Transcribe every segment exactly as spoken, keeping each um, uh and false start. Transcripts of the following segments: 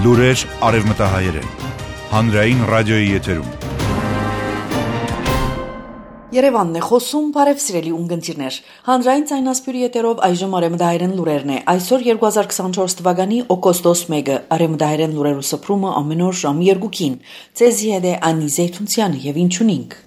Լուրեր արևմտահայերեն, հանրային ռադիոյի եթերում։ Երևանն է խոսում, բարև սիրելի ունգընտիրներ։ Հանրային ցայնասպյուրի եթերով այժմ արևմտահայերեն լուրերն է։ Այսօր երկու հազար քսանչորս թվականի օգոստոս մեկը արևմտահայերեն լուրերու սփռումը ամեն օր ժամի երկուքին։ Ցեզի հետ է Անի Զեյթունցյանը եւ ինչունինք։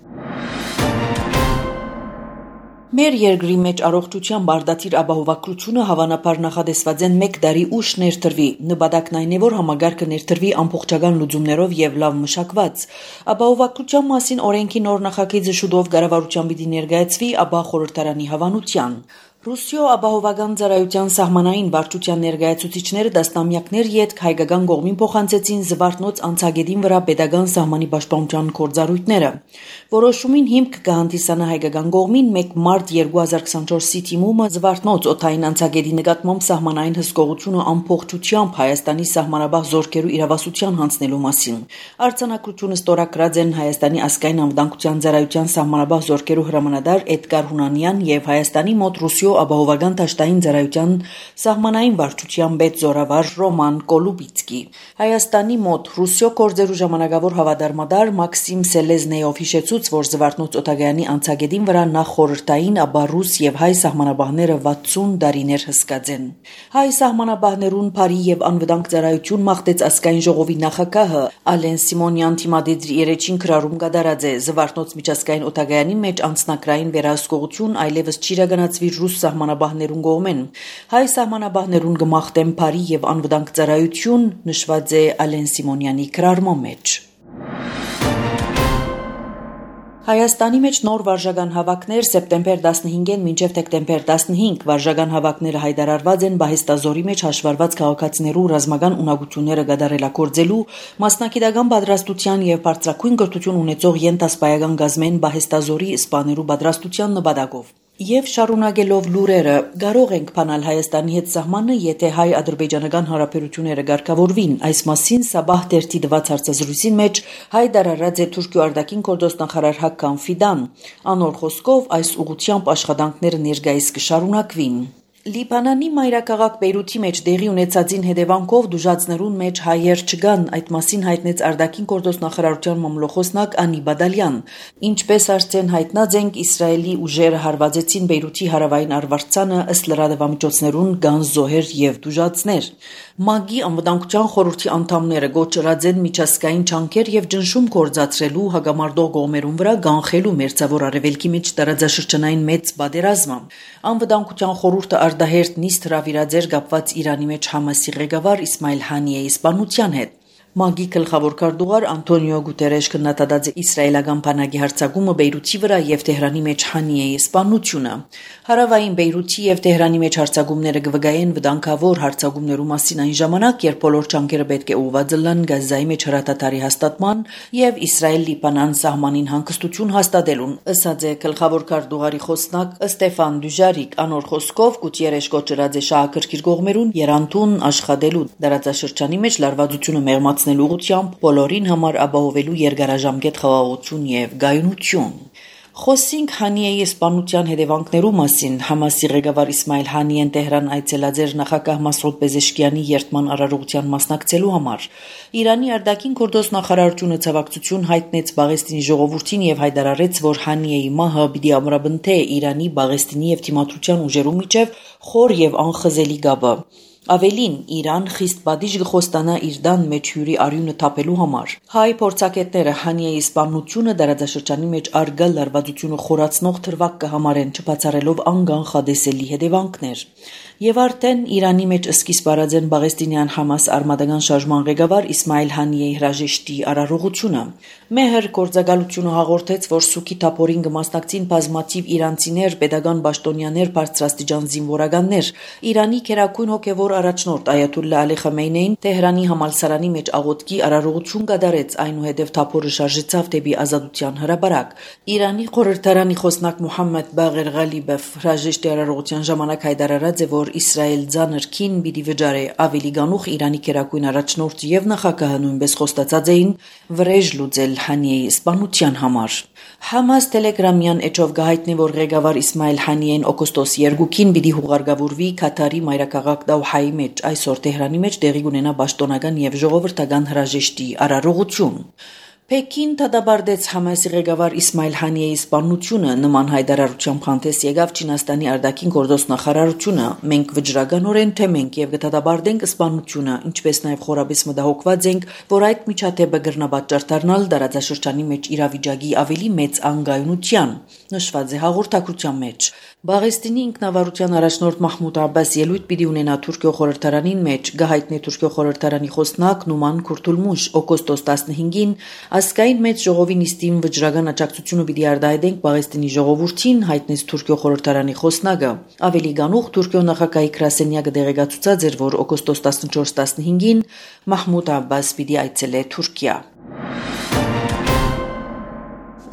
Մեր երկրի մեջ առողջության բարդատիր ապահովագրությունը հավանաբար նախադեсված են մեկ տարի ուշ ներդրվի։ Նպատակն այն է, որ համագարկը ներդրվի ամբողջական լուծումներով եւ լավ մշակված։ Ապահովագրության մասին օրենքի նոր նախագիծը շուտով կառավարության պիտի ներկայացվի, ապա խորհրդարանի հավանության։ Ռուսիո ապահովական ծառայության սահմանային վարչության ներկայացուցիչները դաստամյակներ յետք հայկական կողմին փոխանցեցին Զվարթնոց անցագետին վրա պետական սահմանի պաշտպանության գործառույթները։ Որոշումին հիմք կհանդիսանա հայկական կողմին մեկ մարտ երկու հազար քսանչորսի թիմումը Զվարթնոց օդային անցագետի նկատմամբ սահմանային հսկողությունը ամբողջությամբ Հայաստանի սահմանաբախ զորքերու իրավասության հանձնելու մասին։ Արձանագրությունը ստորագրած են Հայաստանի ազգային անվտանգության ծառայության սահմանաբախ զորքերու հրամանատար Էդգար Հունանյան եւ Հայաստանի մոտ Ռուսիո ապահովական դաշտային ծառայության սահմանային վարչության պետ զորավար Ռոման Կոլուբիցկի։ Հայաստանի մոտ Ռուսիո գործերու ժամանակավոր հավատարմադար Մաքսիմ Սելեզնեյով հիշեցուց, որ Զվարթնոց օտագայանի անցագետին վրա նախ խորհրդային, ապա ռուս եւ հայ սահմանաբահները վաթսուն տարիներ հսկած են։ Հայ սահմանաբահներուն բարի եւ անվտանգ ծառայություն մաղթեց ազգային ժողովի նախագահը Ալեն Սիմոնյան թիմադեդրի երեջին քրարում կատարած է Զվարթնոց միջազգային օտագայանի մեջ անձնակրային վերահսկողություն այլևս չիրականացվի ռուս սահմանաբահներուն կողմեն։ Հայ սահմանաբահներուն կմաղթեն բարի եւ անվտանգ ծառայություն, նշված է Ալեն Սիմոնյանի քրարման մեջ։ Հայաստանի մեջ նոր վարժական հավաքներ սեպտեմբեր տասնհինգին մինչև դեկտեմբեր տասնհինգ վարժական հավաքները հայտարարված են Բահեստազորի մեջ հաշվառված քաղաքացիներու ռազմական ունակությունները կատարելագործելու մասնակիտական պատրաստության եւ բարձրագույն կրթություն ունեցող յենտասպայական գազմեն Բահեստազորի սպաներու պատրաստության նպատակով։ Եվ շարունակելով լուրերը, կարող ենք բանալ Հայաստանի հետ սահմանը, եթե հայ-ադրբեջանական հարաբերությունները կարգավորվին։ Այս մասին Սաբահ դերթի տված հարցազրույցին մեջ հայտարարած է Թուրքիո արտաքին գործ նախարար Հական Ֆիդան։ Անոր խոսքով այս ուղղությամբ աշխատանքները ներկայիս կշարունակվին։ Լիբանանի մայրաքաղաք Բեյրութի մեջ դեղի ունեցածին հետևանքով դժուժացներուն մեջ հայեր չկան, այդ մասին հայտնեց արտաքին գործ նախարարության մամլոխոսնակ Անի Բադալյան։ Ինչպես արդեն հայտնած ենք, Իսրայելի ուժերը հարվածեցին Բեյրութի հարավային արվարձանը, ըստ լրատվամիջոցներուն կան զոհեր եւ դժուժացներ։ ՄԱԳ-ի անվտանգության խորհրդի անդամները գոչրած են միջազգային չանքեր եւ ճնշում գործադրելու հագամարտող կողմերուն վրա կանխելու մերձավոր արևելքի մեջ տարածաշրջանային մեծ պատերազմը։ Անվտանգության խորհուրդը արտահերտ նիստ հրավիրած էր կապված Իրանի մեջ Համասի ղեկավար Իսմայիլ Հանիեի սպանության հետ։ ՄԱԳ-ի գլխավոր քարտուղար Անտոնիո Գուտերեշ քննադատած է իսրայելական բանակի հարձակումը Բեյրութի վրա եւ Թեհրանի մեջ Հանիեի սպանությունը։ Հարավային Բեյրութի եւ Թեհրանի մեջ հարձակումները կվգայեն վտանգավոր հարձակումներու մասին այն ժամանակ, երբ բոլոր ջանքերը պետք է ուղղված լինեն Գազայի մեջ հրատատարի հաստատման եւ Իսրայել-Լիբանան սահմանին հանգստություն հաստատելուն, ըստ է գլխավոր քարտուղարի խոսնակ Ստեֆան Դյուժարիկ։ Անոր խոսքով Գուտերեշ կոչրած է շահագրգիռ կողմերուն երանդուն աշխատելու դարաձաշրջանի մեջ լարվածությունը մեղմացնելու ուղղությամբ բոլորին համար ապահովելու երկարաժամկետ խաղաղություն եւ գայունություն։ Խոսինք Հանիեի սպանության հետևանքներու մասին։ Համասի ղեկավար Իսմայիլ Հանիեն Տեհրան այցելած էր նախագահ Մասուդ Պեզեշկյանի երթման արարողության մասնակցելու համար։ Իրանի արտաքին գործ նախարարությունը ցավակցություն հայտնեց Բաղեստինի ժողովրդին եւ հայտարարեց, որ Հանիեի մահը պիտի ամրապնդե Իրանի, Բաղեստինի եւ Թիմադրության ուժերու միջև խոր եւ անխզելի գաբը։ Ավելին, Իրան խիստ բադիժ գխոստանա իր դան մեջ հյուրի արյունը թափելու համար։ Հայ փորձագետները Հանիեի սպանությունը դարաձաշրջանի մեջ արգա լարվածությունը խորացնող թրվակ կհամարեն, չբացառելով անգանխադեսելի հետևանքներ։ Եվ արդեն Իրանի մեջ սկիզբ արած են Բաղեստինյան Համաս արմատական շարժման ղեկավար Իսմայիլ Հանիեի հրաժեշտի արարողությունը։ Մեհր գործակալությունը հաղորդեց, որ Սուքի թափորին կմասնակցին բազմաթիվ իրանցիներ, պետական պաշտոնյաներ, բարձրաստիճան զինվորականներ։ Իրանի քերակույն հոգևոր առաջնորդ Այաթոլլա Ալի Խամեյնեին Տեհրանի համալսարանի մեջ աղոթքի արարողություն կատարեց, այնուհետև թափորը շարժեցավ դեպի ազատության հրապարակ։ Իրանի խորհրդարանի խոսնակ Մուհամմեդ Բաղեր Ղալիբով հրաժեշտի արարողության ժամանակ հայտարարած է, որ Իսրայել ձանր քին պիտի վճարե ավելի գանուխ Իրանի քերակույն առաջնորդ եւ նախագահը նույնպես խոստացած էին վրեժ լուծել Հանիեի սպանության համար։ Համաս Տելեգրամյան էջով գահիտնի, որ ղեկավար Իսմայիլ Հանիեն օգոստոս երկուքին պիտի հուղարկավորվի Քաթարի մայրաքաղաք Դոհայի Անկարայի մեջ այսօր Թեհրանի մեջ տեղի կունենա պաշտոնական եւ ժողովրդական հրաժեշտի արարողություն։ Պեկին դադարեցրեց Համասի ղեկավար Իսմայիլ Հանիեի սպանությունը, նման հայտարարությամբ հանդես եկավ Չինաստանի արտաքին գործոստ նախարարությունը։ Մենք վճռականորեն թեմ ենք եւ կդադարենք սպանությունը, ինչպես նաեւ խորաբես մտահոգված ենք, որ այդ միջադեպը կրնապատճառ դառնալ տարածաշրջանի մեջ իրավիճակի ավելի մեծ անգայունության, նշված է հաղորդակցության մեջ։ Բաղեստինի ինքնավարության առաջնորդ Մահմուդ Աբբաս ելույթ պիտի ունենա Թուրքիո խորհրդարանին մեջ, գահիտնի Թուրքիո խորհրդարանի խոսնակ Նուման Քուրթուլմուշ օգոստոս տասնհինգին Ասկային մեծ ժողովի նիստին վճռական աջակցությունը պիտի արտահայտենք Բաղեստինի ժողովրդին, հայտնեց Թուրքիո խորհրդարանի խոսնակը։ Ավելի գանուխ Թուրքիո նախագահի գրասենյակը դեղեկացուցած էր, որ օգոստոս տասնչորս տասնհինգին Մահմուդ Աբբաս պիտի այցելե Թուրքիա։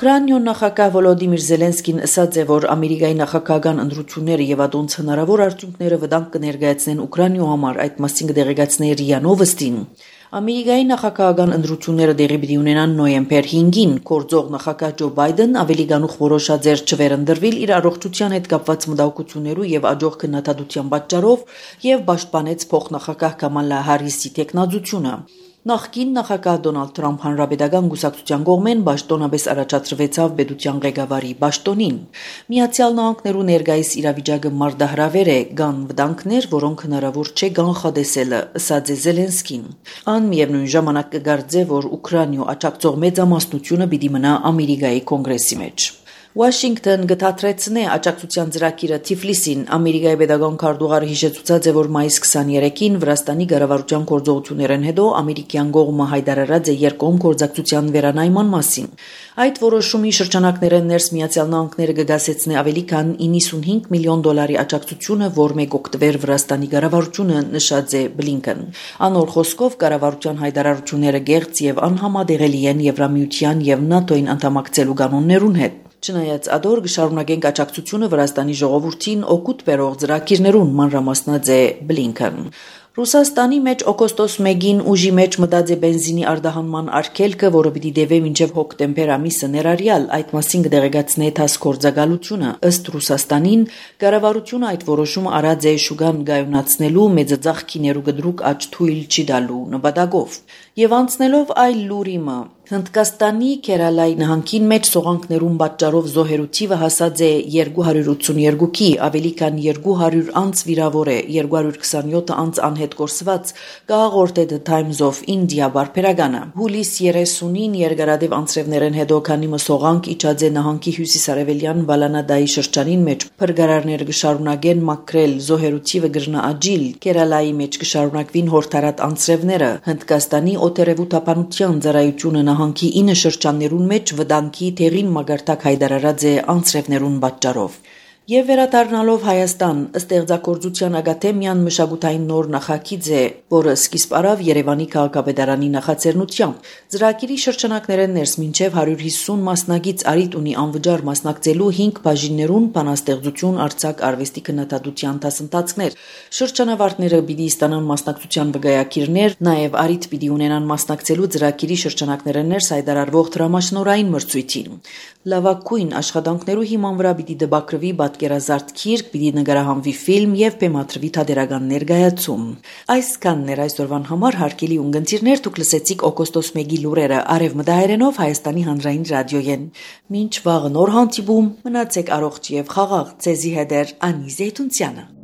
Ուկրաինայ նախագահ Վոլոդիմիր Զելենսկին ասաց է, որ Ամերիկայի նախագահական ընտրությունները եւ ադոնց հնարավոր արդյունքները վտանգ կներկայացնեն Ուկրաինայ համար, այդ մասին կդեղեկացնի ՌԻԱ Նովոստին։ Ամերիկայի նախագահական ընտրությունները տեղի պիտի ունենան նոյեմբեր հինգին, գործող նախագահ Ջո Բայդեն ավելի գանուխ որոշած էր չվերընտրվել իր առողջության հետ կապված մտահոգություններու եւ աջող քննադատության պատճառով եւ պաշտպանեց փոխնախագահ Կամալա Հարիսի տեխնազությունը։ Նախկին նախագահ Դոնալդ Թրամփ հանրապետական գուսակցության կողմեն պաշտոնապես առաջադրվեցավ պետության ղեկավարի պաշտոնին։ Միացյալ Նահանգներու ներկայիս իրավիճակը մարտահրավեր է, կան վտանգներ, որոնք հնարավոր չէ կանխատեսելը, ասաց է Զելենսկին։ Ան միևնույն ժամանակ կգարձե, որ Ուկրաինայ աջակցող մեծամասնությունը պիտի մնա Ամերիկայի կոնգրեսի մեջ։ Վաշինգտոն գտածրեցնե աջակցության ծրագիրը Թիֆլիսին։ Ամերիկայի պետական քարտուղարը հիշեցուցած է, որ մայիս քսաներեքին Վրաստանի կառավարության գործողություններն հետո ամերիկյան կողմը հայտարարած է երկկողմ գործակցության վերանայման մասին։ Այդ որոշումի շրջանակներն ներս Միացյալ Նահանգները կգասեցնե ավելի քան իննսունհինգ միլիոն դոլարի աջակցությունը, որ մեկ օկտոբեր Վրաստանի կառավարությունը նշած է Բլինքեն։ Անոր խոսքով կառավարության հայտարարությունները գեղձ եւ անհամադեղելի են Եվրամիության եւ ՆԱՏՕ-ին անդամակցելու կանոններուն հետ։ Չնայած ադոր կշարունակենք աջակցությունը Վրաստանի ժողովրդին օգուտ բերող ծրագիրներուն, մանրամասնած է Բլինքեն։ Ռուսաստանի մեջ օգոստոս մեկին ուժի մեջ մտած է բենզինի արտահանման արգելքը, որը պիտի դեվե մինչև հոկտեմբեր ամիսը ներառյալ, այդ մասին կդեղեկացնե ԹԱՍՍ գործակալությունը։ Ըստ Ռուսաստանին, կառավարությունը այդ որոշումը արած է շուկան գայունացնելու, մեծածախքիներու գդրուկ աճ թույլ չի տալու նպատակով։ Եվ անցնելով այլ լուրիմը, Հնդկաստանի Քերալայի նահանգին մեջ սողանքներուն պատճառով զոհերու թիվը հասած է երկու հարյուր ութսուներկուքի, ավելի քան երկու հարյուր անց վիրավոր է, երկու հարյուր քսանյոթ անց անհետ կորսված, կհաղորդե The Times of India բարբերականը։ Հուլիս երեսունին երկարատև անձրևներեն հետո քանի մսողանք իջած է նահանգի հյուսիսարևելյան Վալանադայի շրջանին մեջ, փրկարարները կշարունակեն մաքրել, զոհերու թիվը կրնա աճիլ, Քերալայի մեջ կշարունակվին հորթարատ անձրևները, Հնդկաստանի օտերևութապանության ծառայությունը նահանգի ինը շրջաններուն մեջ վտանգի թեղին մագարտակ հայտարարած է անձրևներուն պատճառով։ Եվ վերադառնալով Հայաստան, ստեղծագործության ակադեմիան մշակութային նոր նախագիծ է, որը սկիզբ առավ Երևանի քաղաքապետարանի նախաձեռնությամբ։ Ծրագիրի շրջանակներն ներս մինչև հարյուր հիսուն մասնագիծ արիտ ունի անվճար մասնակցելու հինգ բաժիններուն բանաստեղծություն, արձակ, արվեստի քննադատության դասընթացներ։ Շրջանավարտները պիտի ստանան մասնակցության վկայակիրներ, նաև արիտ պիտի ունենան մասնակցելու ծրագիրի շրջանակներն ներս հայտարարվող դրամաշնորհային մրցույթին։ Լավագույն աշխատանքներու հիման վրա պիտի դպակրվի պատկերազարդ գիրք, պիտի նկարահանվի ֆիլմ եւ բեմադրվի թատերական ներկայացում։ Այսքանն էր այսօրվան համար հարգելի ունգընտիրներ, դուք լսեցիք օգոստոս մեկի լուրերը արևմտահայերենով Հայաստանի հանրային ռադիոյեն։ Մինչ վաղը նոր հանդիպում, մնացեք առողջ եւ խաղաղ, ցեզի հետ է Անի Զեյթունցյանը։